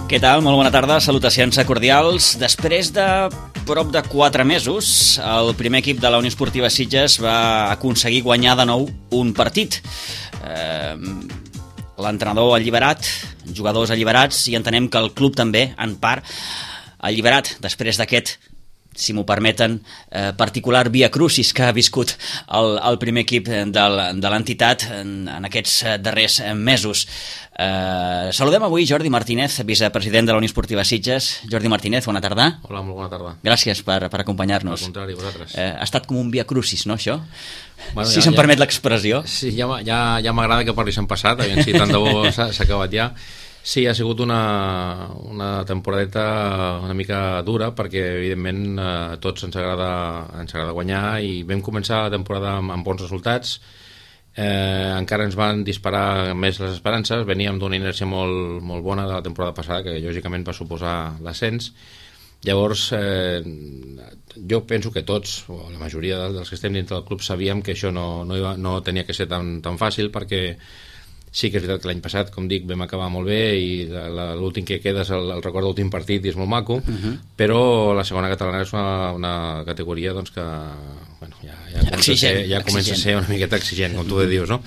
Què tal? Molt bona tarda, salutacions cordials. Després de prop de 4 mesos, el primer equip de la Unió Esportiva Sitges va aconseguir guanyar de nou un partit. L'entrenador alliberat, jugadors alliberats, i entenem que el club també, en part, alliberat després d'aquest, si m'ho permeten, particular via crucis que ha viscut el primer equip de l'entitat en aquests darrers mesos. Saludem avui Jordi Martínez, vicepresident de la Unió Esportiva Sitges. Jordi Martínez, bona tarda. Hola, molt bona tarda. Gràcies per acompanyar-nos. Al contrari, vosaltres. Ha estat com un via crucis, no, això? Bueno, si se'm permet l'expressió. Sí, ja m'agrada que parlis en passat, aviam si tant de bo s'ha acabat ja. Sí, ha sigut una temporadeta una mica dura perquè, evidentment, a tots ens agrada guanyar i vam començar la temporada amb bons resultats. Encara ens van disparar més les esperances. Veníem d'una inèrcia molt bona de la temporada passada, que lògicament va suposar l'ascens. Llavors, jo penso que tots, o la majoria dels que estem dintre del club, sabíem que això no tenia que ser tan fàcil, perquè sí que és veritat que l'any passat, com dic, vam acabar molt bé i l'últim que queda és el record de l'últim partit i és molt maco, però la segona catalana és una categoria doncs, que bueno, ja comença a ser una miqueta exigent, com tu dius, no?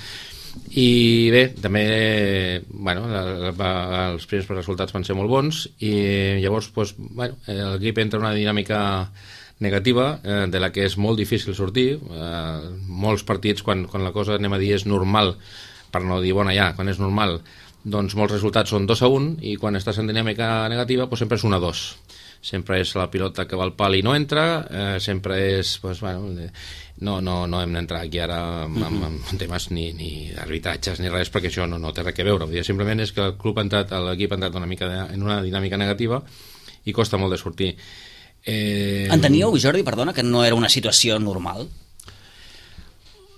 I bé, també bueno, els primers resultats van ser molt bons i llavors doncs, bueno, l'equip entra en una dinàmica negativa de la que és molt difícil sortir. Molts partits, quan la cosa, anem a dir, és normal, per no dir bona ja, quan és normal, doncs molts resultats són 2-1 i quan estàs en dinàmica negativa doncs sempre és 1-2. Sempre és la pilota que va al pal i no entra, sempre és doncs, bueno, no hem d'entrar aquí ara amb temes ni d'arbitratges ni res, perquè això no té res a veure. Simplement és que l'equip ha entrat una mica en una dinàmica negativa i costa molt de sortir. Enteníeu, Jordi, perdona, que no era una situació normal?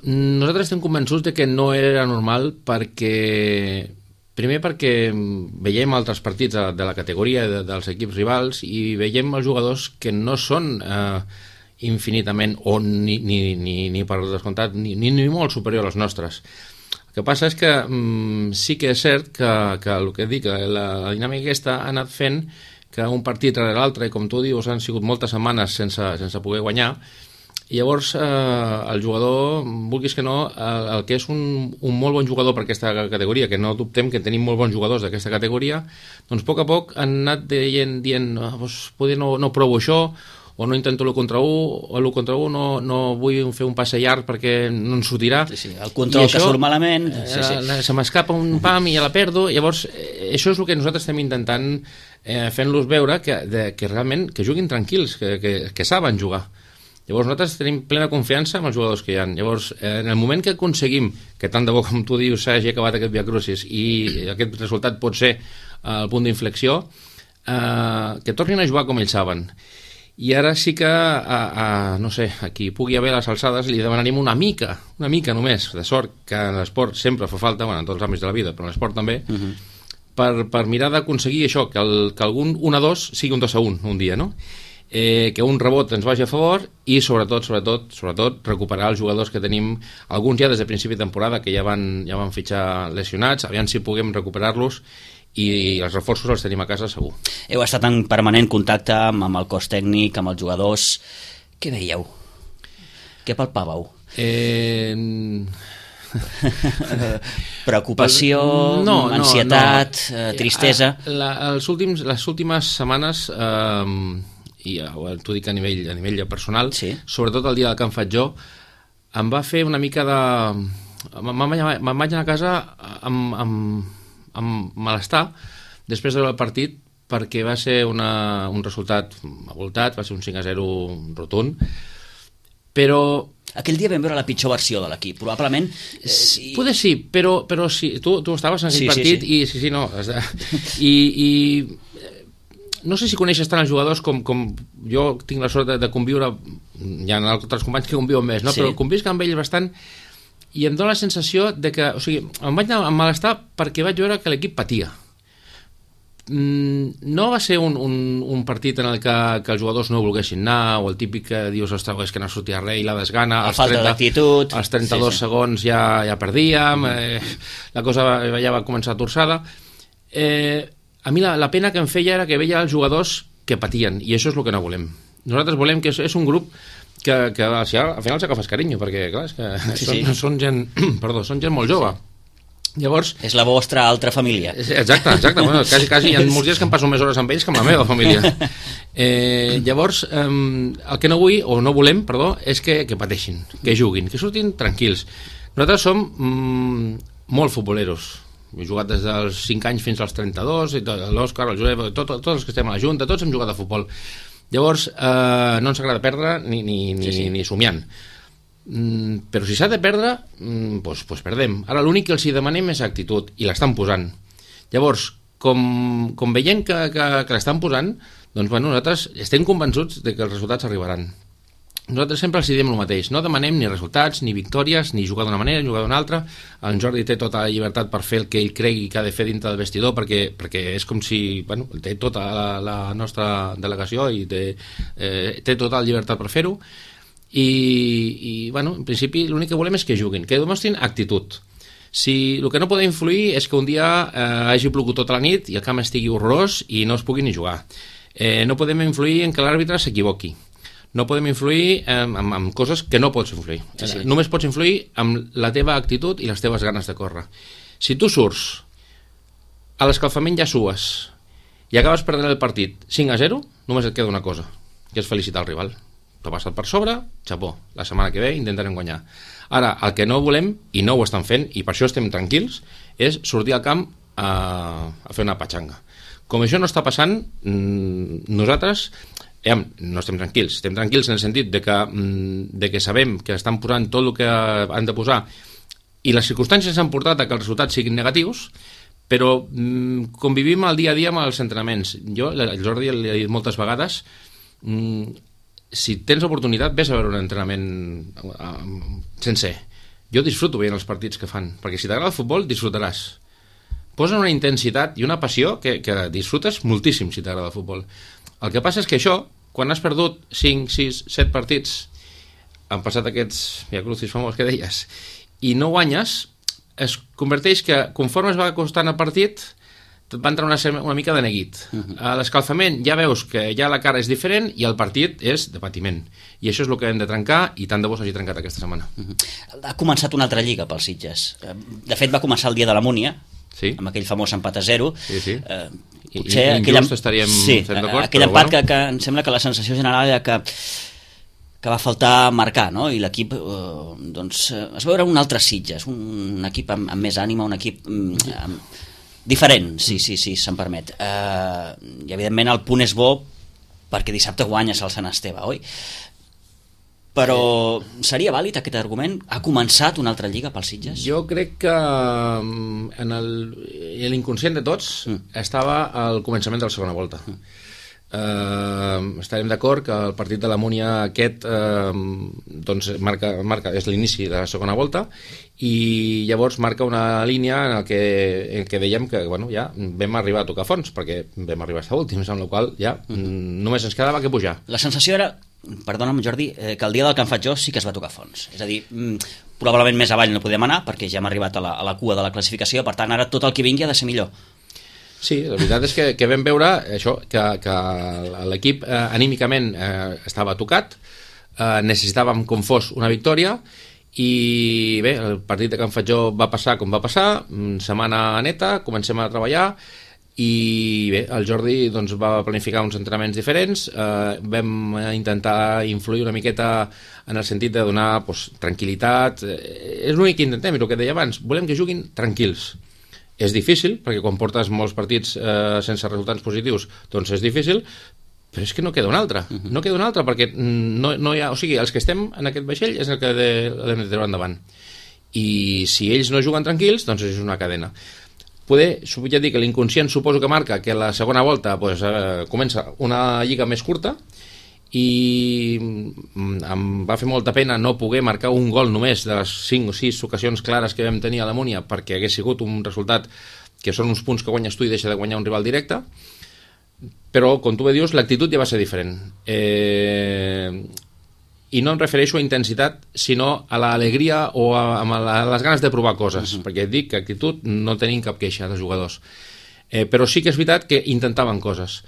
Nosaltres estem convençuts de que no era normal primer perquè veiem altres partits de la categoria dels equips rivals i veiem els jugadors que no són infinitament o ni per descomptat ni molt superior als nostres. El que passa és que sí que és cert que el que dic, la dinàmica aquesta ha anat fent que un partit rere l'altre, i com tu dius, han sigut moltes setmanes sense poder guanyar. I llavors el jugador, vulguis que no, el que és un molt bon jugador per aquesta categoria, que no dubtem que tenim molt bons jugadors d'aquesta categoria, doncs a poc han anat dient poder no provo això, o no intento l'1 contra 1, o l'1 contra 1 no vull fer un passe llarg perquè no en sortirà. Sí, el control això, que surt malament. Se m'escapa un pam i ja la perdo. Llavors, això és el que nosaltres estem intentant fent-los veure que realment que juguin tranquils, que saben jugar. Llavors nosaltres tenim plena confiança en els jugadors que hi ha. Llavors, en el moment que aconseguim que tant de bo, com tu dius, s'hagi acabat aquest via crucis i aquest resultat pot ser el punt d'inflexió, que tornin a jugar com ells saben. I ara sí que, no sé, a qui pugui haver les alçades li demanaríem una mica només de sort, que en l'esport sempre fa falta, bueno, en tots els àmbits de la vida, però en l'esport també, per mirar d'aconseguir això, que algun 1-2 sigui un 2-1 un dia, no? Que un rebot ens vagi a favor i sobretot recuperar els jugadors que tenim, alguns ja des de principi de temporada que ja van fitxar lesionats, aviam si puguem recuperar-los i els reforços els tenim a casa segur. Heu estat en permanent contacte amb el cos tècnic, amb els jugadors. Què veieu? Què palpàveu? Preocupació, ansietat, tristesa? Les últimes setmanes i t'ho dic a nivell personal, sí. Sobretot el dia del Can Faig Jo, em va fer una mica de... Me'n vaig anar a casa amb malestar després del partit, perquè va ser un resultat avoltat, va ser un 5-0 rotund, però... Aquell dia vam veure la pitjor versió de l'equip, probablement... Poder sí, però sí, tu estaves en aquell partit i sí, no... I no sé si coneixes tant els jugadors com jo tinc la sort de conviure, hi ha altres companys que conviuen més, no? Sí. Però convisc amb ells bastant i em dóna la sensació de que, o sigui, em vaig anar amb malestar perquè vaig veure que l'equip patia. No va ser un partit en el que els jugadors no volguessin anar, o el típic que dius, ostres, és que no sortia res i la desgana, als 32 segons ja perdíem, la cosa ja va començar torçada. a mi la pena que em feia era que veia els jugadors que patien, i això és el que no volem. Nosaltres volem que és un grup que al final s'agafes carinyo, perquè clar, és que són gent són gent molt jove. Llavors, és la vostra altra família. Exacte. Bueno, quasi hi ha molts dies que em passo més hores amb ells que amb la meva família. Llavors, el que no vull, o no volem, és que pateixin, que juguin, que surtin tranquils. Nosaltres som molt futboleros. He jugat des dels 5 anys fins als 32, l'Òscar, el Josep, tots els que estem a la Junta, tots hem jugat a futbol. Llavors, no ens agrada perdre ni somiant. Però si s'ha de perdre, doncs perdem. Ara l'únic que els hi demanem és actitud, i l'estan posant. Llavors, com veiem que l'estan posant, doncs nosaltres estem convençuts de que els resultats arribaran. Nosaltres sempre els diem el mateix, no demanem ni resultats, ni victòries, ni jugar d'una manera, ni jugar d'una altra. En Jordi té tota la llibertat per fer el que ell cregui que ha de fer dintre del vestidor, perquè és com si té tota la nostra delegació i té tota la llibertat per fer-ho. I en principi l'únic que volem és que juguin, que demostrin actitud. Si el que no podem influir és que un dia hagi plogut tota la nit i el camp estigui horrorós i no es pugui ni jugar. No podem influir en que l'àrbitre s'equivoqui. No podem influir en coses que no pots influir. Sí. Només pots influir amb la teva actitud i les teves ganes de córrer. Si tu surts, a l'escalfament ja sues i acabes perdent el partit 5-0, només et queda una cosa, que és felicitar el rival. T'ho passat per sobre, xapó, la setmana que ve intentarem guanyar. Ara, el que no volem, i no ho estan fent, i per això estem tranquils, és sortir al camp a fer una patxanga. Com això no està passant, nosaltres no estem tranquils en el sentit de que sabem que estan posant tot el que han de posar i les circumstàncies han portat a que els resultats siguin negatius, però convivim al dia a dia amb els entrenaments. Jo, el Jordi li he dit moltes vegades, si tens oportunitat ves a veure un entrenament sencer. Jo disfruto veient els partits que fan, perquè si t'agrada el futbol disfrutaràs. Posen una intensitat i una passió que disfrutes moltíssim si t'agrada el futbol. El que passa és que això, quan has perdut 5, 6, 7 partits, han passat aquests viacrucis famosos que deies, i no guanyes, es converteix que, conforme es va costant el partit, et va entrar una mica de neguit. A l'escalfament ja veus que ja la cara és diferent i el partit és de patiment. I això és el que hem de trencar, i tant de bo s'hagi trencat aquesta setmana. Ha començat una altra lliga pels Sitges. De fet, va començar el dia de la Múnia, amb aquell famós empat a 0. Potser injust estaríem fent d'acord, aquell empat que em sembla que la sensació general era que va faltar marcar, no? I l'equip es veure un altre Sitges, un equip amb més ànima, un equip diferent, si se'm permet. I evidentment el punt és bo perquè dissabte guanyes el Sant Esteve, oi? Però seria vàlid aquest argument? Ha començat una altra lliga pels Sitges? Jo crec que en l'inconscient de tots estava al començament de la segona volta. Estarem d'acord que el partit de la Múnia aquest és l'inici de la segona volta i llavors marca una línia en què dèiem que ja vam arribar a tocar fons, perquè vam arribar a estar últims, amb la qual ja només ens quedava que pujar. La sensació era, perdona'm Jordi, que el dia del Can Fatjó sí que es va tocar fons, és a dir, probablement més avall no podem anar perquè ja hem arribat a la cua de la classificació, per tant ara tot el que vingui ha de ser millor. Sí, la veritat és que vam veure això, que l'equip anímicament estava tocat, necessitàvem com fos una victòria i bé, el partit de Can Fatjó va passar com va passar, setmana neta, comencem a treballar i bé, el Jordi va planificar uns entrenaments diferents, vam intentar influir una miqueta en el sentit de donar tranquil·litat, és l'únic que intentem, és el que deia abans, volem que juguin tranquils. És difícil, perquè quan portes molts partits sense resultats positius, doncs és difícil, però és que no queda un altre. No queda un altre, perquè no hi ha... O sigui, els que estem en aquest vaixell és el que l'hem de treure endavant. I si ells no juguen tranquils, doncs és una cadena. Ja dic que l'inconscient suposo que marca que la segona volta comença una lliga més curta i em va fer molta pena no poder marcar un gol només de les 5 o 6 ocasions clares que vam tenir a la Múnia, perquè hagués sigut un resultat que són uns punts que guanyes tu i deixa de guanyar un rival directe, però com tu bé dius l'actitud ja va ser diferent i no em refereixo a intensitat sinó a l'alegria o a les ganes de provar coses, perquè dic que actitud no tenim cap queixa dels jugadors. Però sí que és veritat que intentaven coses.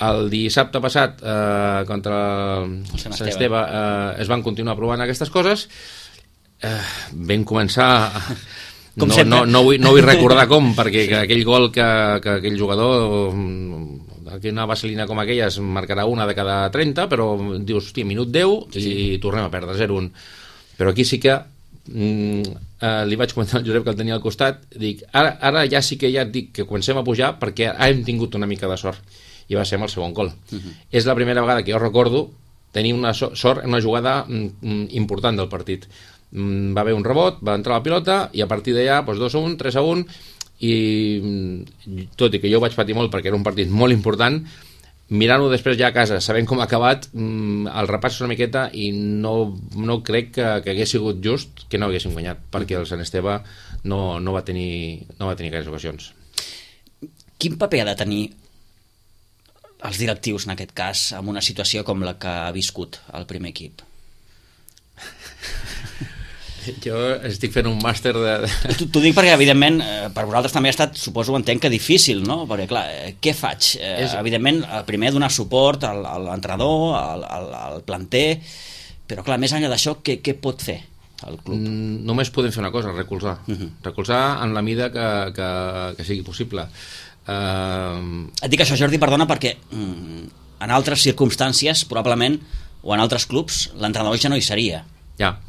El dissabte passat contra el Sant Esteve es van continuar provant aquestes coses. Vam començar no vull recordar com, perquè aquell gol que aquell jugador, una vaselina com aquella es marcarà una de cada 30, però dius, hòstia, minut 10 i tornem a perdre 0-1. Però aquí sí que li vaig comentar al Josep, que el tenia al costat, dic, ara ja sí que ja et dic que comencem a pujar, perquè hem tingut una mica de sort, i va ser amb el segon gol. És la primera vegada que jo recordo tenir una sort en una jugada important del partit. Va haver un rebot, va entrar la pilota i a partir d'allà 2-1, 3-1, i tot i que jo ho vaig patir molt perquè era un partit molt important, mirant-ho després ja a casa, sabent com ha acabat, el repàs una miqueta, i no crec que hagués sigut just que no haguéssim guanyat, perquè el Sant Esteve no va tenir aquelles ocasions. Quin paper ha de tenir els directius, en aquest cas, en una situació com la que ha viscut el primer equip? Jo estic fent un màster de... T'ho dic perquè, evidentment, per vosaltres també ha estat, suposo, entenc que difícil, no? Perquè, clar, què faig? Evidentment, primer donar suport a l'entrenador, al planter, però, clar, més enllà d'això, què pot fer el club? Només podem fer una cosa, recolzar. Recolzar en la mida que sigui possible. Et dic això, Jordi, perdona, perquè en altres circumstàncies, probablement, o en altres clubs, l'entrenador ja no hi seria. Ja.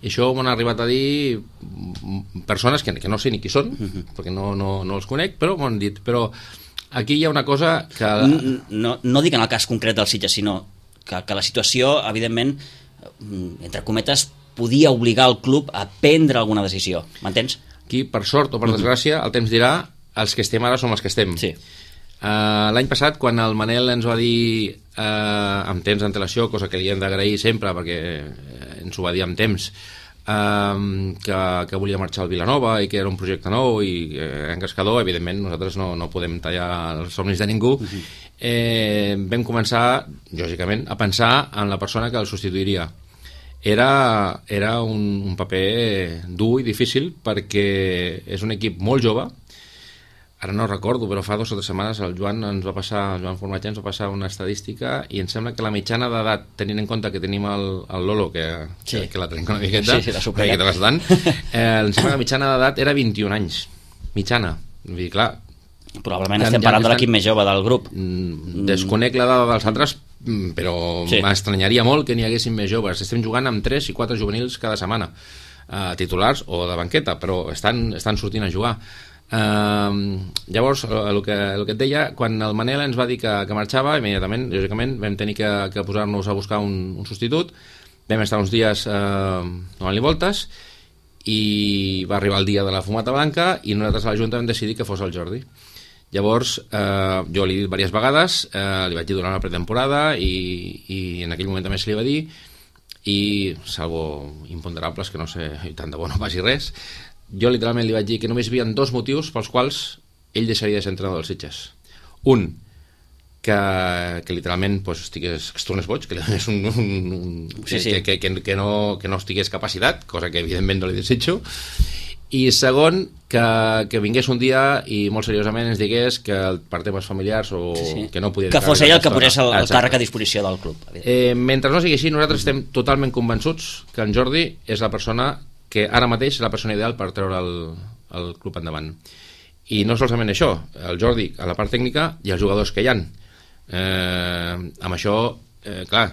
I això m'han arribat a dir persones que no sé ni qui són, perquè no els conec, però m'ho han dit. Però aquí hi ha una cosa que... No dic en el cas concret del Sitges, sinó que la situació, evidentment, entre cometes, podia obligar el club a prendre alguna decisió. M'entens? Aquí, per sort o per desgràcia, el temps dirà, els que estem ara som els que estem. Sí. L'any passat, quan el Manel ens va dir amb temps d'antelació, cosa que li hem d'agrair sempre perquè ens ho va dir amb temps, que volia marxar al Vilanova i que era un projecte nou i era encascador, evidentment nosaltres no podem tallar els somnis de ningú. Vam començar, lògicament, a pensar en la persona que el substituiria. Era un paper dur i difícil perquè és un equip molt jove. Ara no recordo, però fa 2 o 3 setmanes el Joan Formatge ens va passar una estadística i em sembla que la mitjana d'edat, tenint en compte que tenim el Lolo, que la tenim una miqueta, bastant, em sembla que la mitjana d'edat era 21 anys. Mitjana. Vull dir, clar... Probablement estem parlant de l'equip més jove del grup. Desconec l'edat dels altres, però m'estranyaria molt que n'hi haguessin més joves. Estem jugant amb 3 i 4 juvenils cada setmana, titulars o de banqueta, però estan sortint a jugar. Llavors el que et deia, quan el Manel ens va dir que marxava, immediatament, lògicament, vam tenir que posar-nos a buscar un substitut. Vam estar uns dies donant-li voltes i va arribar el dia de la fumata blanca i nosaltres a la Junta vam decidir que fos el Jordi. Llavors jo li he dit diverses vegades, li vaig dir durant la pretemporada i en aquell moment també se li va dir, i salvo imponderables que no sé, i tant de bo no passi res, jo literalment li vaig dir que només hi havia 2 motius pels quals ell deixaria de ser entrenador dels Sitges. Un, que literalment es tornés boig, que li donés que no estigués capacitat, cosa que evidentment no li desitjo, i segon, que vingués un dia i molt seriosament ens digués que per temes familiars o que no podia... Que fos ell el que posés el càrrec a disposició del club. Mentre no sigui així, nosaltres estem totalment convençuts que en Jordi és la persona que ara mateix és la persona ideal per treure el club endavant. I no solament això, el Jordi a la part tècnica i els jugadors que hi han. Amb això, clar,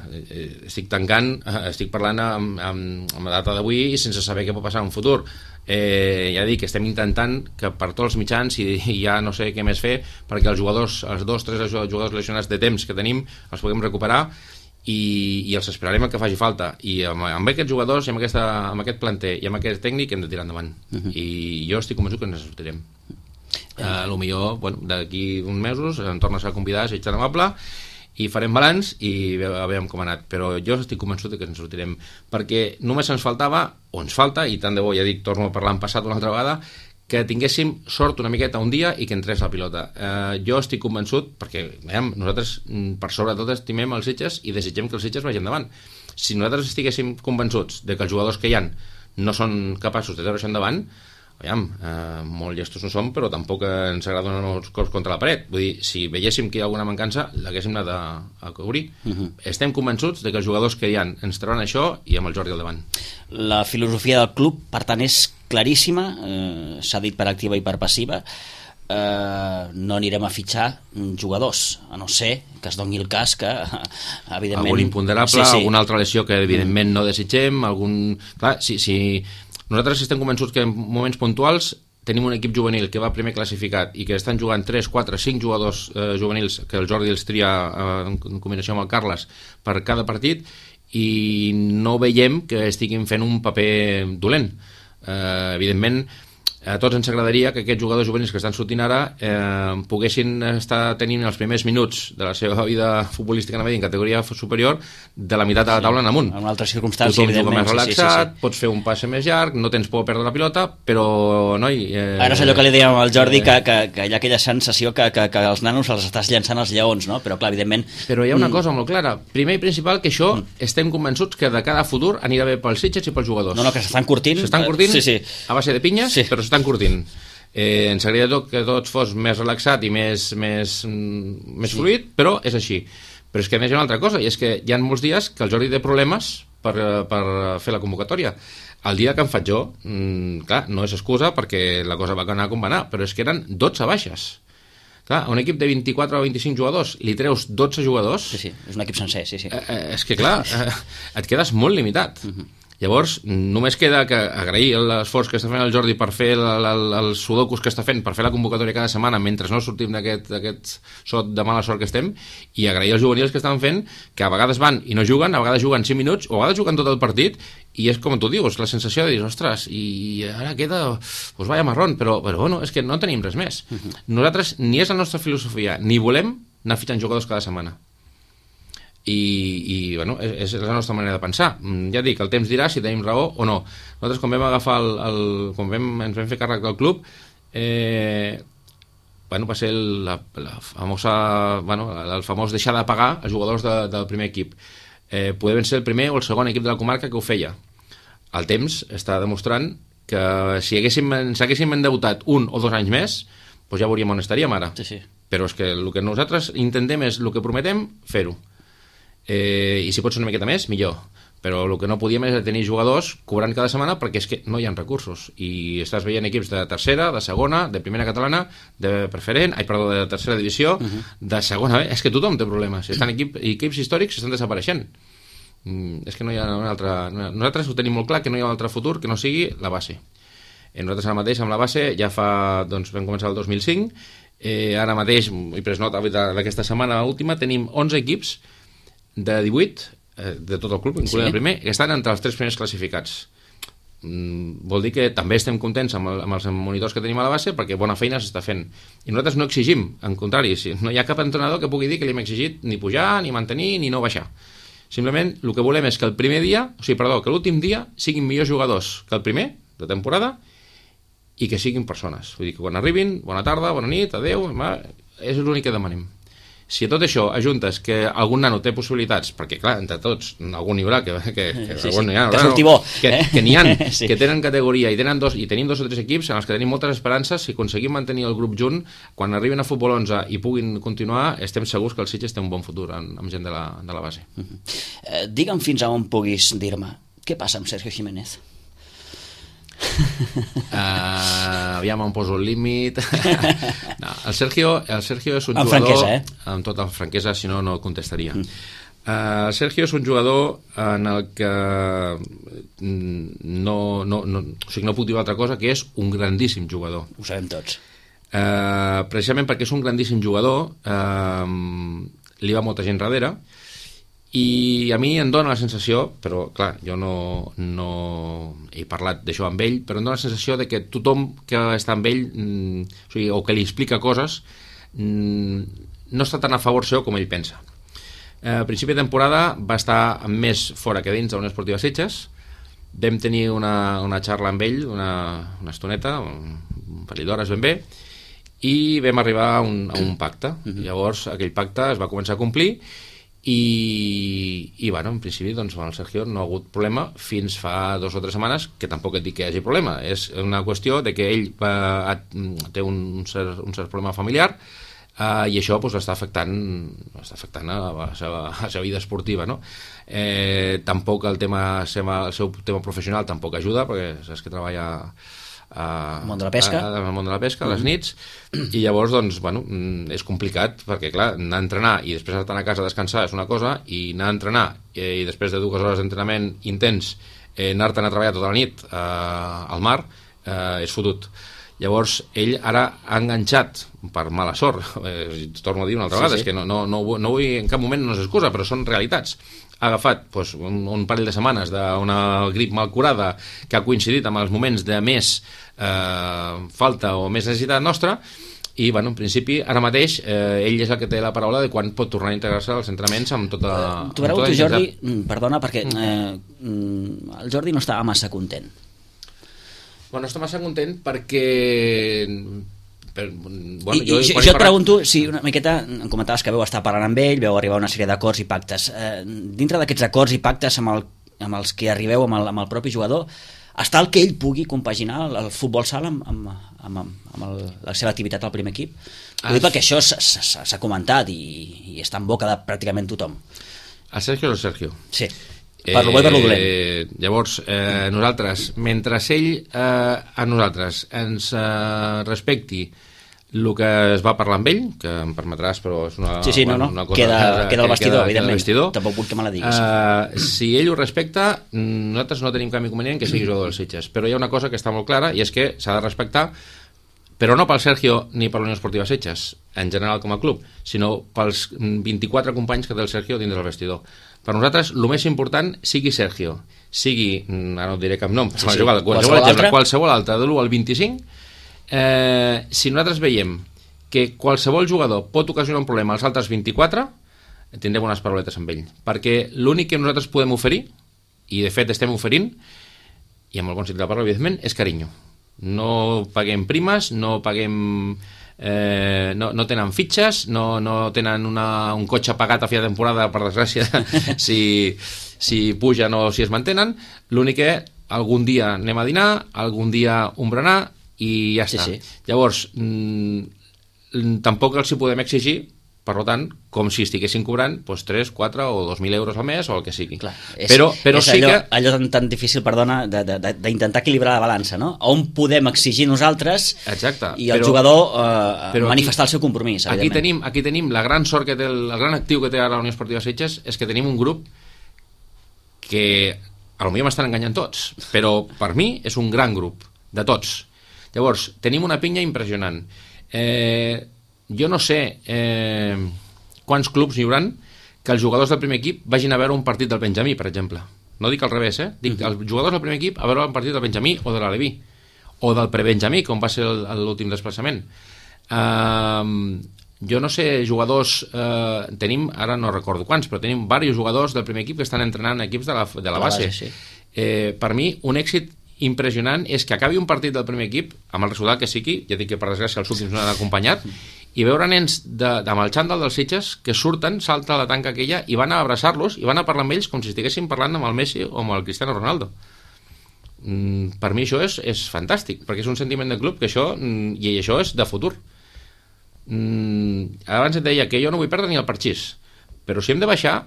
estic parlant amb la data d'avui i sense saber què pot passar en un futur. Ja dic, estem intentant que per tots els mitjans, i ja no sé què més fer, perquè els 2-3 jugadors lesionats de temps que tenim els puguem recuperar, i els esperarem el que faci falta, i amb aquests jugadors i amb aquest planter i amb aquest tècnic hem de tirar endavant. I jo estic convençut que ens sortirem. Potser d'aquí uns mesos em tornes a convidar, si ets tan amable, i farem balanç i veiem com ha anat, però jo estic convençut que ens sortirem, perquè només ens faltava, o ens falta, i tant de bo, ja dic, torno a parlar en passat una altra vegada, que tinguéssim sort una miqueta un dia i que entrés la pilota. Jo estic convençut, perquè nosaltres per sobretot estimem els Sitges i desitgem que els Sitges vagin endavant. Si nosaltres estiguéssim convençuts de que els jugadors que hi ha no són capaços de treure això endavant, molt llestos no som, però tampoc ens agrada donar els cops contra la paret. Vull dir, si veiéssim que hi ha alguna mancança, l'haguéssim anat a cobrir. Estem convençuts de que els jugadors que hi ha ens trauran això i amb el Jordi al davant. La filosofia del club, per tant, és claríssima, s'ha dit per activa i per passiva. No anirem a fitxar jugadors, a no ser que es doni el cas que evidentment... Algun imponderable, alguna altra lesió que evidentment no desitgem, Clar, si nosaltres estem convençuts que en moments puntuals tenim un equip juvenil que va primer classificat i que estan jugant 3, 4, 5 jugadors juvenils que el Jordi els tria en combinació amb el Carles per cada partit i no veiem que estiguin fent un paper dolent. Evidentment, a tots ens agradaria que aquests jugadors juvenils que estan sortint ara poguessin estar tenint els primers minuts de la seva vida futbolística en categoria superior de la meitat de la taula en amunt. En una altra circumstància, tothom juga més relaxat, pots fer un passe més llarg, no tens por a perdre la pilota, però noi... Ara és allò que li dèiem al Jordi, que hi ha aquella sensació que els nanos els estàs llançant als lleons, no? Però clar, evidentment... Però hi ha una cosa molt clara, primer i principal, que això estem convençuts que de cada futur anirà bé pels Sitges i pels jugadors. No, que s'estan curtint. S'estan curtint a base de pinyes, però s'estan curtint. Ens agradaria que tot fos més relaxat i més fluid, però és així. Però és que a més hi ha una altra cosa, i és que hi ha molts dies que el Jordi té problemes per fer la convocatòria. El dia que en faig jo, clar, no és excusa perquè la cosa va anar com va anar, però és que eren 12 baixes. Clar, a un equip de 24 o 25 jugadors li treus 12 jugadors... Sí, és un equip sencer, sí. És que clar, et quedes molt limitat. Llavors, només queda que agrair l'esforç que està fent el Jordi per fer els sudokus que està fent, per fer la convocatòria cada setmana mentre no sortim d'aquest sot de mala sort que estem, i agrair als juvenils que estan fent, que a vegades van i no juguen, a vegades juguen 5 minuts, o a vegades juguen tot el partit, i és com tu dius, la sensació de dir, ostres, i ara queda, pues vaya marrón, però bueno, és que no tenim res més. Nosaltres, ni és la nostra filosofia, ni volem anar fitxant jugadors cada setmana. I bueno, és la nostra manera de pensar. Ja dic, el temps dirà si tenim raó o no. Nosaltres quan vam agafar ens vam fer càrrec del club, va ser el famós deixar de pagar els jugadors del primer equip. Podem ser el primer o el segon equip de la comarca que ho feia. El temps està demostrant que si ens haguéssim endeutat 1 o 2 anys més, doncs ja veuríem on estaríem ara. Però és que el que nosaltres intentem és el que prometem, fer-ho. I si pot ser una miqueta més, millor, però el que no podíem és tenir jugadors cobrant cada setmana perquè és que no hi ha recursos i estàs veient equips de tercera, de segona, de primera catalana, de preferent, de tercera divisió, de segona, és que tothom té problemes, estan equips històrics que estan desapareixent. És que no hi ha una altra... Nosaltres ho tenim molt clar, que no hi ha un altre futur que no sigui la base. Nosaltres ara mateix amb la base ja fa, doncs vam començar el 2005, ara mateix, he pres nota d'aquesta setmana última, tenim 11 equips de 18 de tot el club, incloent el primer, que estan entre els 3 primers classificats. Vol dir que també estem contents amb els monitors que tenim a la base perquè bona feina s'està fent. I nosaltres no exigim, en contrari, no hi ha cap entrenador que pugui dir que li hem exigit ni pujar, ni mantenir, ni no baixar. Simplement el que volem és que que l'últim dia siguin millors jugadors que el primer de temporada i que siguin persones. Vull dir que quan arribin, bona tarda, bona nit, adeu, és l'únic que demanem. Si a tot això ajuntes que algun nano té possibilitats, perquè clar, entre tots algun n'hi haurà que n'hi ha que tenen categoria i tenim 2 o 3 equips en els que tenim moltes esperances, si aconseguim mantenir el grup junt, quan arribin a Futbol 11 i puguin continuar, estem segurs que el Sitges té un bon futur amb gent de la base. Digue'm fins a on puguis dir-me què passa amb Sergio Jiménez. Aviam on poso el límit. No, el Sergio és un amb jugador franquesa, amb tota franquesa, si no contestaria. El Sergio és un jugador en el que no puc dir altra cosa que és un grandíssim jugador. Ho sabem tots. Precisament perquè és un grandíssim jugador, li va molta gent darrere i a mi em dóna la sensació, però clar, jo no he parlat d'això amb ell, però em dóna la sensació de que tothom que està amb ell o que li explica coses no està tan a favor seu com ell pensa. A principi de temporada va estar més fora que dins de la Unió Esportiva Sitges. Vam tenir una xarra amb ell, una estoneta, un parell d'hores ben bé, i vam arribar a un pacte. Llavors aquell pacte es va començar a complir i bueno, en principi doncs, el Sergio no ha hagut problema fins fa 2 o 3 setmanes, que tampoc et dic que hi hagi problema, és una qüestió de que ell té un cert problema familiar, i això doncs, està afectant a la seva vida esportiva, no? Tampoc el seu tema professional tampoc ajuda, perquè saps que treballa al món de la pesca, a les nits, i llavors doncs, bueno, és complicat, perquè clar, anar a entrenar i després anar a casa a descansar és una cosa, i anar a entrenar i després de 2 hores d'entrenament intens anar-te'n a treballar tota la nit al mar és fotut. Llavors ell ara ha enganxat, per mala sort, torno a dir una altra vegada, és que no vull, en cap moment no és excusa, però són realitats. Ha agafat doncs, un parell de setmanes d'una grip mal curada que ha coincidit amb els moments de més falta o més necessitat nostra, i bueno, en principi ara mateix ell és el que té la paraula de quan pot tornar a integrar-se als entrenaments amb tota tu Jordi, perdona, perquè el Jordi no estava massa content. Bueno, està massa content perquè bueno, jo et pregunto si una miqueta, em comentaves que vau estar parlant amb ell, vau arribar a una sèrie d'acords i pactes, dintre d'aquests acords i pactes amb els que arribeu amb el propi jugador, està el que ell pugui compaginar el futbol sala amb la seva activitat al primer equip? Ho dic perquè això s'ha comentat i està en boca de pràcticament tothom. El Sergio és el Sergio. Sí, per lo bo i per lo dolent. Llavors, nosaltres, mentre ell a nosaltres ens respecti el que es va parlar amb ell, que em permetràs, però és una cosa... Queda al vestidor, evidentment. Tampoc vull que me la diguis. Si ell ho respecta, nosaltres no tenim cap inconvenient que sigui jugador del Sitges. Però hi ha una cosa que està molt clara, i és que s'ha de respectar, però no pel Sergio ni per la Unió Esportiva Sitges, en general com a club, sinó pels 24 companys que té el Sergio dins del vestidor. Per nosaltres, el més important, sigui Sergio, sigui, ara no et diré cap nom, qualsevol altre, de l'1 al 25, si nosaltres veiem que qualsevol jugador pot ocasionar un problema als altres 24, tindrem unes parauletes amb ell, perquè l'únic que nosaltres podem oferir, i de fet estem oferint, i amb el bon sentit de la paraula, evidentment, és carinyo. No paguem primes, no paguem no tenen fitxes, no tenen un cotxe pagat a fi de temporada, per desgràcia, si pugen o si es mantenen. L'únic que algun dia anem a dinar, algun dia un berenar, i ja està. Llavors, tampoc els hi podem exigir, per tant, com si estiguessin cobrant 3, 4 o 2.000 euros al mes o el que sigui. Clar, però sí que... allò tan difícil, perdona, d'intentar equilibrar la balança, no? On podem exigir nosaltres i el jugador manifestar el seu compromís, evidentment. Aquí tenim la gran sort que té, el gran actiu que té ara la Unió Esportiva Sitges, és que tenim un grup que potser m'estan enganyant tots, però per mi és un gran grup, de tots. Llavors, tenim una pinya impressionant. Jo no sé quants clubs hi haurà que els jugadors del primer equip vagin a veure un partit del Benjamí, per exemple. No dic al revés, dic els jugadors del primer equip a veure un partit del Benjamí o de l'Aleví, o del prebenjamí, com va ser l'últim desplaçament. Jo no sé, jugadors, tenim, ara no recordo quants, però tenim diversos jugadors del primer equip que estan entrenant equips de la base. Per mi, un èxit impressionant és que acabi un partit del primer equip amb el resultat que sigui, ja dic que per desgràcia els últims no han acompanyat, i veure nens amb el xandall dels Sitges que surten, salta la tanca aquella i van a abraçar-los i van a parlar amb ells com si estiguessin parlant amb el Messi o amb el Cristiano Ronaldo. Per mi això és fantàstic, perquè és un sentiment de club que això, i això és de futur. Abans et deia que jo no vull perdre ni el parxís, però si hem de baixar,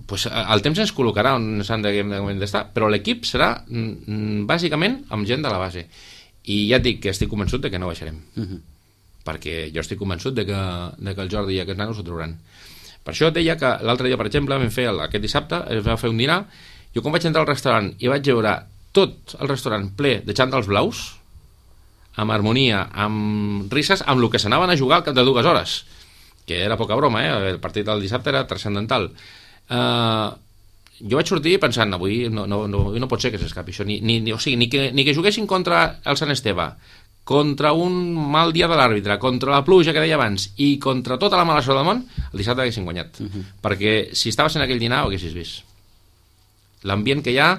pues el temps ens col·locarà on s'han d'estar, però l'equip serà bàsicament amb gent de la base, i ja et dic que estic convençut de que no baixarem, perquè jo estic convençut de que el Jordi i aquests nanos ho trauran. Per això et deia que l'altre dia, per exemple, vam fer aquest dissabte, es va fer un dinar, jo quan vaig entrar al restaurant i vaig veure tot el restaurant ple de xandalls blaus, amb harmonia, amb risses, amb el que s'anaven a jugar al cap de 2 hores, que era poca broma, el partit del dissabte era transcendental. Jo vaig sortir pensant, avui no pot ser que s'escapi això, ni que juguessin contra el Sant Esteve, contra un mal dia de l'àrbitre, contra la pluja que deia abans i contra tota la mala sort del món, el dissabte haguessin guanyat, perquè si estaves en aquell dinar ho haguessis vist. L'ambient que hi ha,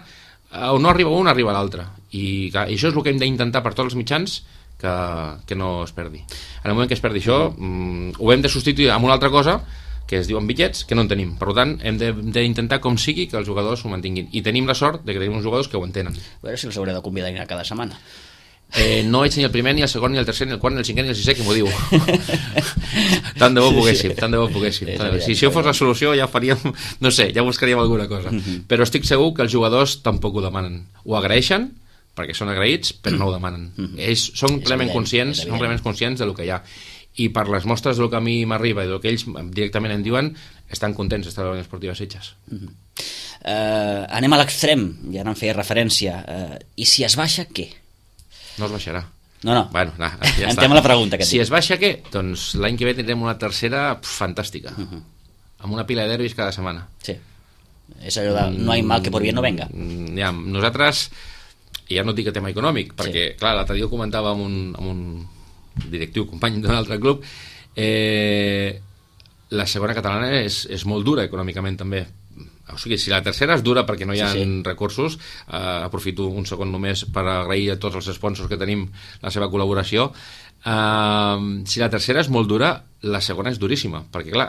on no arriba un arriba l'altre, i això és el que hem d'intentar per tots els mitjans, que no es perdi. En el moment que es perdi això, ho hem de substituir amb una altra cosa, que es diuen bitllets, que no en tenim. Per tant, hem d'intentar com sigui que els jugadors ho mantinguin. I tenim la sort de que tenim uns jugadors que ho entenen. A veure si els hauré de convidar a anar cada setmana. No ets ni el primer, ni el segon, ni el tercer, ni el quart, ni el cinquè, ni el sisè, que m'ho diu. Tant de bo poguéssim, tant de bo poguéssim. Si això fos la solució ja faríem, no sé, ja buscaríem alguna cosa. Però estic segur que els jugadors tampoc ho demanen. Ho agraeixen, perquè són agraïts, però no ho demanen. Ells són plenament conscients del que hi ha. I per les mostres del que a mi m'arriba i del que ells directament em diuen, estan contents d'estar a la Unió Esportiva Sitges. Anem a l'extrem, ja no en feia referència. I si es baixa, què? No es baixarà. No. Bueno, ja Entrem a la pregunta. Si es baixa, què? Doncs l'any que ve tindrem una tercera fantàstica. Amb una pila de derbis cada setmana. Sí. És allò de no hay mal que por bien no venga. Ja, nosaltres, ja no et dic el tema econòmic, perquè, clar, l'altre dia ho comentava amb un directiu, company d'un altre club, la segona catalana és molt dura econòmicament també. O sigui, si la tercera és dura perquè no hi ha recursos, aprofito un segon només per agrair a tots els sponsors que tenim la seva col·laboració. Si la tercera és molt dura, la segona és duríssima, perquè clar,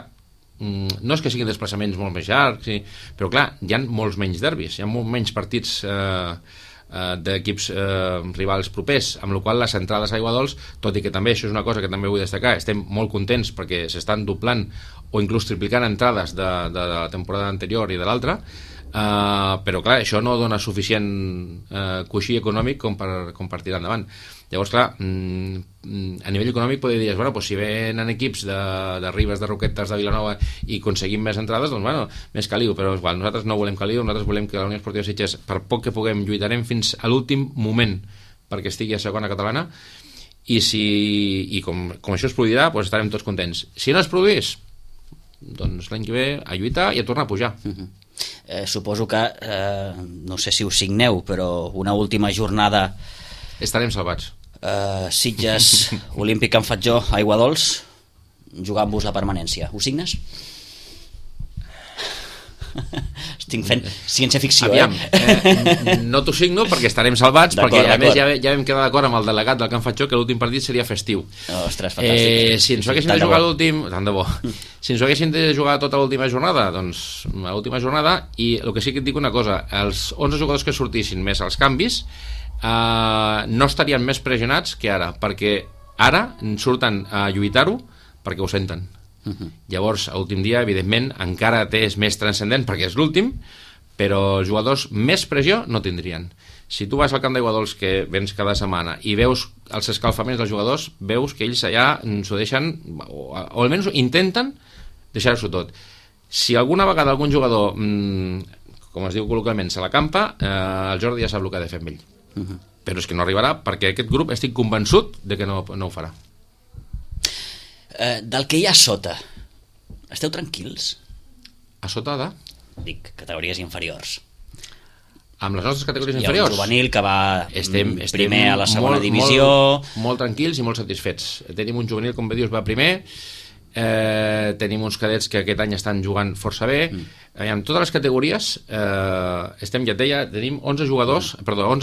no és que siguin desplaçaments molt més llargs, però clar, hi ha molts menys derbis, hi ha molts menys partits d'equips rivals propers, amb la qual les entrades a Aiguadols, tot i que també això és una cosa que també vull destacar, estem molt contents perquè s'estan doblant o inclús triplicant entrades de la temporada anterior i de l'altra, però clar, això no dona suficient coixí econòmic com per tirar endavant. Llavors clar, a nivell econòmic podria dir, bueno, pues si venen equips de Ribes, de Roquetes, de Vilanova i aconseguim més entrades, doncs bueno, més caliu, però igual, nosaltres no volem caliu, nosaltres volem que la Unió Esportiva Sitges, per poc que puguem, lluitarem fins a l'últim moment perquè estigui a segona catalana, i com això es produirà, doncs estarem tots contents. Si no es produís, doncs l'any que ve a lluitar i a tornar a pujar. Suposo que no sé si ho signeu, però una última jornada estarem salvats. Sitges Olímpic Can Fatjó, Aiguadols, jugant-vos la permanència, ho signes? Estic fent ciència-ficció. Aviam, no t'ho signo perquè estarem salvats, perquè a més ja vam quedar d'acord amb el delegat del Can Fatjó que l'últim partit seria festiu. Ostres, fantàstic. Si ens ho haguéssim de jugar l'últim, tant de bo, si ens ho haguéssim de jugar tota l'última jornada, doncs a l'última jornada, i el que sí que et dic una cosa, els 11 jugadors que sortissin més els canvis no estarien més pressionats que ara, perquè ara surten a lluitar-ho perquè ho senten. Llavors, a l'últim dia, evidentment, encara és més transcendent perquè és l'últim, però els jugadors més pressió no tindrien. Si tu vas al camp d'Aiguadols, que vens cada setmana, i veus els escalfaments dels jugadors, veus que ells allà s'ho deixen, o almenys intenten deixar-s'ho tot. Si alguna vegada algun jugador, com es diu col·localment, se la campa, el Jordi ja sap el que ha de fer amb ell. Però és que no arribarà perquè aquest grup estic convençut de que no ho farà. Del que hi ha a sota, esteu tranquils? A sota de? Dic, categories inferiors. Amb les nostres categories Hi inferiors? ha un juvenil que va primer a la segona divisió. Molt tranquils i molt satisfets. Tenim un juvenil, com bé dius, va primer. Tenim uns cadets que aquest any estan jugant força bé. En totes les categories estem, ja et deia, tenim 11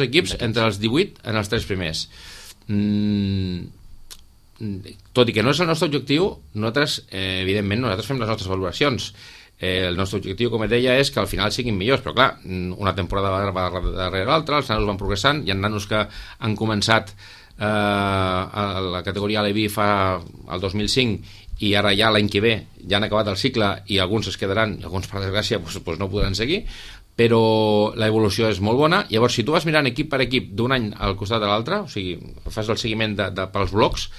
equips entre els 18 en els 3 primers. Tot i que no és el nostre objectiu, nosaltres, evidentment, fem les nostres valoracions. El nostre objectiu, com et deia, és que al final siguin millors, però clar, una temporada va darrere l'altra, els nanos van progressant, hi ha nanos que han començat a la categoria Aleví el 2005 i ara ja l'any que ve ja han acabat el cicle i alguns es quedaran, alguns per desgràcia doncs no podran seguir, però l'evolució és molt bona. Llavors, si tu vas mirant equip per equip d'un any al costat de l'altre, o sigui, fas el seguiment pels blocs,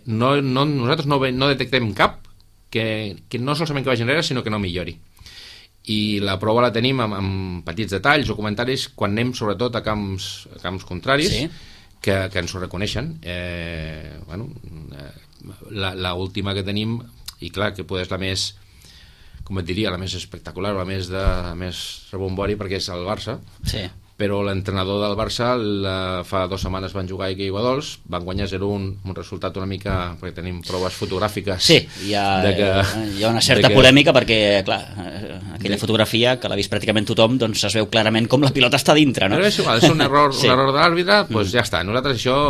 nosaltres no detectem cap que no solament que vagi enrere, sinó que no millori. I la prova la tenim amb petits detalls o comentaris quan anem sobretot a camps contraris, sí, que ens ho reconeixen. La última que tenim, i clar, que poder és la més, com et diria, la més espectacular, la més rebombori, perquè és el Barça. Sí. Però l'entrenador del Barça fa 2 setmanes van jugar a Aiguadols, van guanyar 0-1, un resultat una mica, perquè tenim proves fotogràfiques. Sí, hi ha una certa polèmica perquè, clar, aquella fotografia que l'ha vist pràcticament tothom, doncs es veu clarament com la pilota està dintre, no? Però és igual, és un error, sí, un error de l'àrbitre, doncs ja està. Nosaltres això,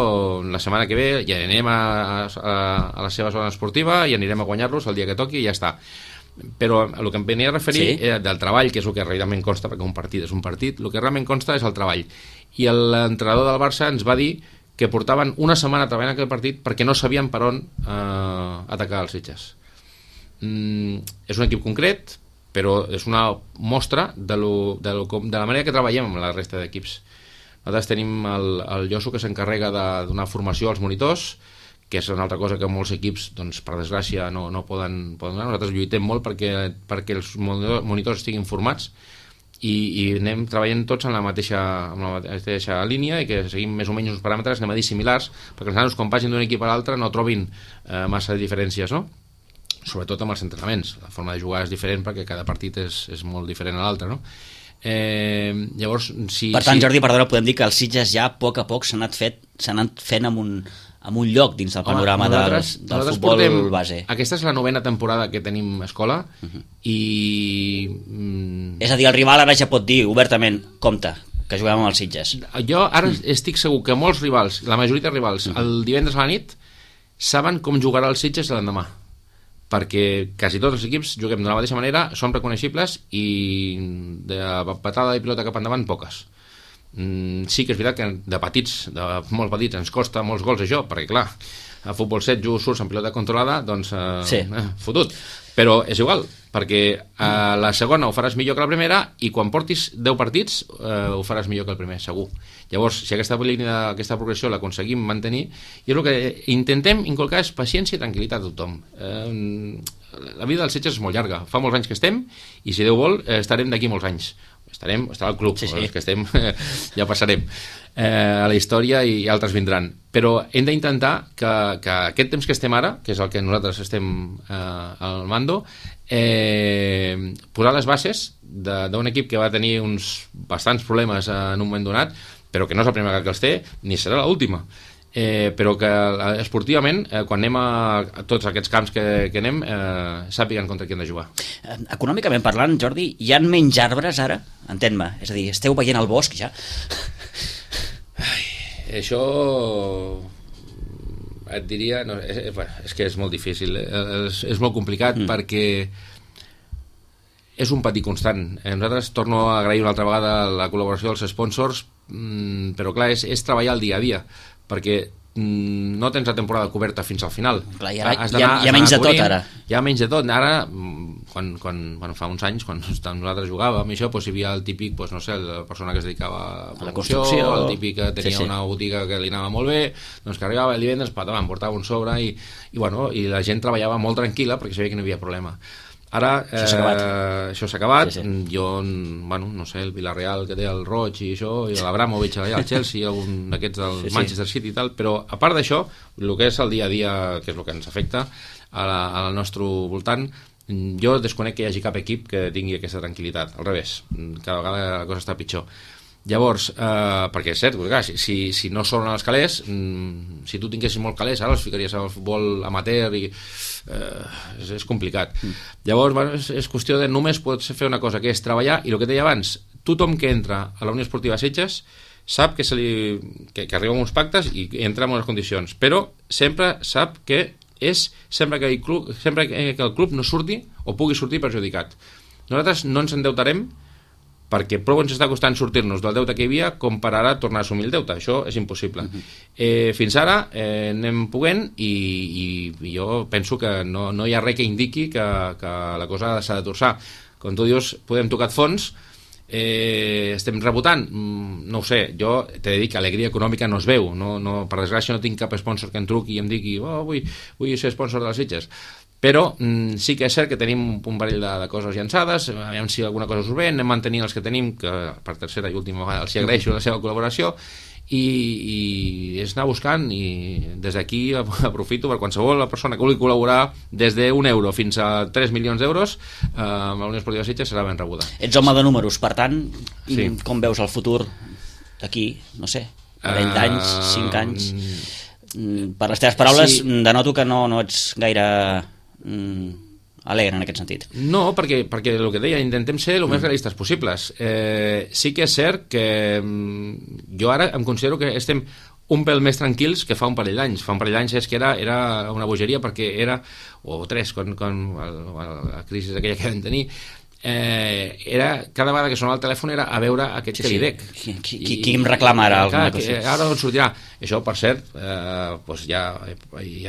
la setmana que ve, ja anem a la seva zona esportiva i anirem a guanyar-los el dia que toqui i ja està. Però el que em venia a referir del treball, que és el que realment consta, perquè un partit és un partit, el que realment consta és el treball. I l'entrenador del Barça ens va dir que portaven una setmana treballant aquell partit perquè no sabien per on atacar els Sitges. És un equip concret, però és una mostra de la manera que treballem amb la resta d'equips. Nosaltres tenim el Josu, que s'encarrega de donar formació als monitors, que és una altra cosa que molts equips, doncs, per desgràcia, no poden donar. Nosaltres lluitem molt perquè els monitors estiguin formats i anem treballant tots en la mateixa línia i que seguim més o menys uns paràmetres, anem a dir similars, perquè els nanos, quan vagin d'un equip a l'altre, no trobin massa diferències, no? Sobretot amb els entrenaments. La forma de jugar és diferent perquè cada partit és molt diferent a l'altre, no? Llavors, per tant, Jordi, perdona, podem dir que els Sitges ja a poc s'han anat fent amb un lloc dins del panorama del futbol base. Aquesta és la 9ª temporada que tenim escola i... És a dir, el rival ara ja pot dir obertament, compte, que juguem amb els Sitges. Jo ara estic segur que molts rivals, la majoria de rivals, el divendres a la nit saben com jugarà el Sitges l'endemà, perquè quasi tots els equips juguem de la mateixa manera, som reconeixibles i de patada de pilota cap endavant poques. Sí que és veritat que de molt petits ens costa molts gols això, perquè clar, a futbol 7 surts en pilota controlada, doncs fotut, però és igual, perquè a la segona ho faràs millor que la primera i quan portis 10 partits ho faràs millor que el primer, segur. Llavors, si aquesta progressió l'aconseguim mantenir, i el que intentem inculcar és paciència i tranquil·litat a tothom. La vida dels Sitges és molt llarga, fa molts anys que estem i si Déu vol estarem d'aquí molts anys. Estarà al club, els que estem ja passarem a la història i altres vindran, però hem d'intentar que aquest temps que estem ara, que és el que nosaltres estem al mando, posar les bases d'un equip que va tenir uns bastants problemes en un moment donat, però que no és la primera vegada que els té ni serà l'última, però que esportivament, quan anem a tots aquests camps que anem, sàpiguen contra qui han de jugar. Econòmicament parlant, Jordi, hi ha menys arbres ara? Entén-me, és a dir, esteu veient el bosc ja? Això et diria... No, és que és molt difícil, és molt complicat perquè és un patir constant. Nosaltres torno a agrair una altra vegada la col·laboració dels sponsors, però clar, és treballar el dia a dia, perquè no tens la temporada coberta fins al final. Clar, hi ha menys de tot ara. Hi ha menys de tot. Ara, quan fa uns anys, quan nosaltres jugàvem, això, doncs, hi havia el típic, doncs, no sé, la persona que es dedicava a la construcció, el típic que tenia una botiga que li anava molt bé, doncs que arribava el divendres, em portava un sobre i la gent treballava molt tranquil·la perquè sabia que no hi havia problema. Ara això s'ha acabat. Jo, no sé, el Villarreal que té el Roig i això, i l'Abramovich allà, el Chelsea, algun d'aquests del Manchester City i tal, però a part d'això, el que és el dia a dia, que és el que ens afecta al nostre voltant, jo desconec que hi hagi cap equip que tingui aquesta tranquil·litat, al revés, cada vegada la cosa està pitjor. Llavors, perquè és cert, clar, si no són els calés, si tu tinguessis molt calés, ara els ficaries al futbol amateur i és complicat. Llavors, és qüestió de només pots fer una cosa, que és treballar, i el que deia abans, tothom que entra a la Unió Esportiva Sitges sap que arriba amb uns pactes i entra en unes condicions, però sempre sap que sempre que el club no surti o pugui sortir perjudicat. Nosaltres no ens endeutarem perquè prou ens està costant sortir-nos del deute que hi havia com per ara tornar a assumir el deute. Això és impossible. Fins ara anem poguent i jo penso que no hi ha res que indiqui que la cosa s'ha de torçar. Com tu dius, podem tocar fons, estem rebotant, no ho sé, jo t'he de dir que alegria econòmica no es veu, per desgràcia no tinc cap sponsor que em truqui i em digui vull ser sponsor de les Sitges, però sí que és cert que tenim un parell de coses llançades, aviam si alguna cosa us ve, anem mantenint els que tenim, que per tercera i última vegada els agraeixo la seva col·laboració, i és anar buscant, i des d'aquí aprofito per qualsevol persona que vulgui col·laborar des d'1 euro fins a 3 milions d'euros amb la Unió Esportiva Sitges serà ben rebuda. Ets home de números, per tant, com veus el futur d'aquí, no sé, 20 anys, 5 anys? Per les teves paraules denoto que no ets gaire alegre en aquest sentit. No, perquè el que deia, intentem ser el més realistes possibles. Sí que és cert que jo ara em considero que estem un pèl més tranquils que fa un parell d'anys. Fa un parell d'anys és que era una bogeria, perquè era, o 3, quan la crisi aquella que vam tenir, era, cada vegada que sonava el telèfon era a veure aquest que li dec. Qui em reclama ara alguna cosa? Ara on sortirà. Això, per cert, doncs ja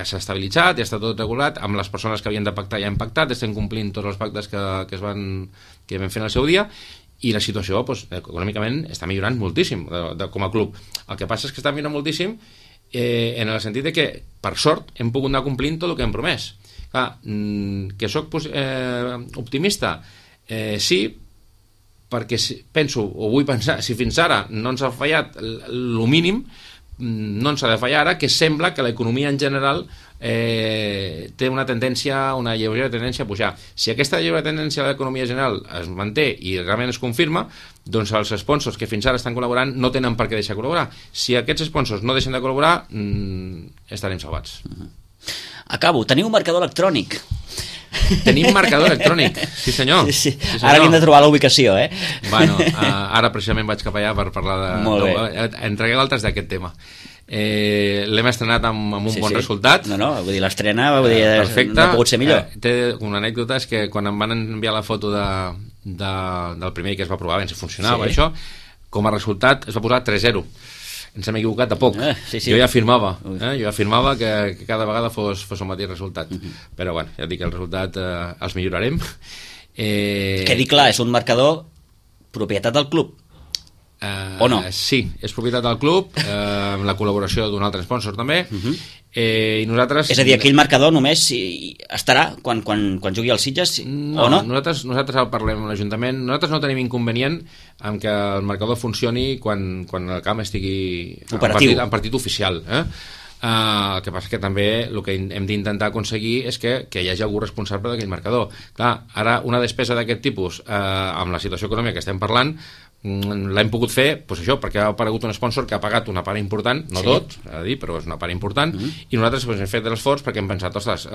s'ha estabilitzat, ja està tot regulat, amb les persones que havien de pactar ja hem pactat, estem complint tots els pactes que vam fer en el seu dia, i la situació, doncs, econòmicament està millorant moltíssim com a club. El que passa és que està millorant moltíssim en el sentit de que, per sort, hem pogut anar complint tot el que hem promès. Clar, que soc optimista, sí, perquè penso, o vull pensar, si fins ara no ens ha fallat el mínim, no ens ha de fallar ara, que sembla que l'economia en general té una lleugera tendència a pujar. Si aquesta lleugera tendència a l'economia general es manté i realment es confirma, doncs els sponsors que fins ara estan col·laborant no tenen per què deixar de col·laborar. Si aquests sponsors no deixen de col·laborar, estarem salvats. Acabo, teniu un marcador electrònic. Tenim marcador electrònic, sí senyor. Sí, senyor. Ara havíem de trobar la ubicació, Bueno, ara precisament vaig cap allà per parlar de... Molt bé. Entregueu altres d'aquest tema. L'hem estrenat amb un bon resultat. No, vull dir, l'estrena perfecte. No ha pogut ser millor. Té una anècdota, és que quan em van enviar la foto del primer que es va provar, si funcionava això, com a resultat es va posar 3-0. Ens hem equivocat de poc. Jo ja afirmava que cada vegada fos el mateix resultat. Però bueno, ja dic que el resultat els millorarem. Quedi clar, és un marcador propietat del club. O no? Sí, és propietat del club, amb la col·laboració d'un altre sponsor també. I nosaltres... És a dir, aquell marcador només estarà quan jugui al Sitges o no? Nosaltres parlem amb l'Ajuntament. Nosaltres no tenim inconvenient en que el marcador funcioni quan el camp estigui en partit oficial. El que passa que també el que hem d'intentar aconseguir és que hi hagi algú responsable d'aquell marcador. Clar, ara una despesa d'aquest tipus, amb la situació econòmica que estem parlant, l'hem pogut fer, doncs això, perquè ha aparegut un sponsor que ha pagat una part important, no tot, s'ha de dir, però és una part important, i nosaltres hem fet l'esforç perquè hem pensat, ostres,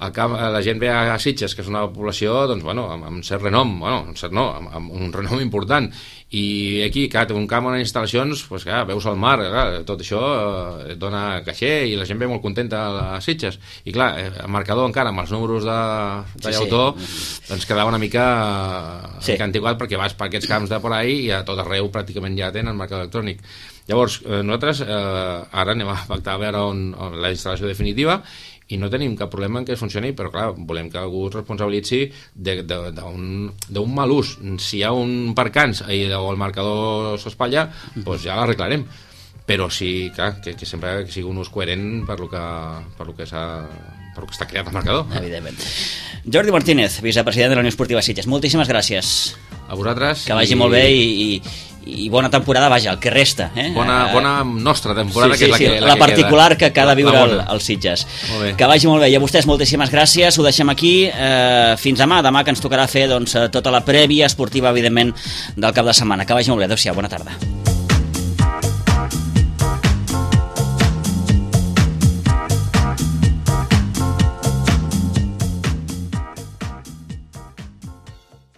la gent ve a Sitges, que és una població doncs, bueno, amb cert renom, amb un renom important, i aquí, clar, té un camp on instal·lacions, doncs, clar, veus el mar, clar, tot això et dona caixer i la gent ve molt contenta a Sitges, i clar, el marcador encara amb els números de llautó doncs quedava una mica antiquat, perquè vas per aquests camps de por ahí i a tot arreu pràcticament ja tenen marcador electrònic. Llavors, nosaltres ara anem a pactar a veure on la instal·lació definitiva, i no tenim cap problema en què funcioni, però clar, volem que algú es responsabilitzi d'un mal ús. Si hi ha un percanç o el marcador s'espatlla, doncs ja l'arreglarem. Però sí, clar, que sempre sigui un ús coherent per lo que està creat el marcador. Evidentment. Jordi Martínez, vicepresident de la Unió Esportiva Sitges, moltíssimes gràcies. A vosaltres. Que vagi molt bé i bona temporada, vaja, el que resta. Bona nostra temporada, que és la particular que ha de viure el Sitges. Que vagi molt bé. I a vostès moltíssimes gràcies, ho deixem aquí. Fins demà que ens tocarà fer tota la prèvia esportiva, evidentment, del cap de setmana. Que vagi molt bé. Adéu-siau, bona tarda.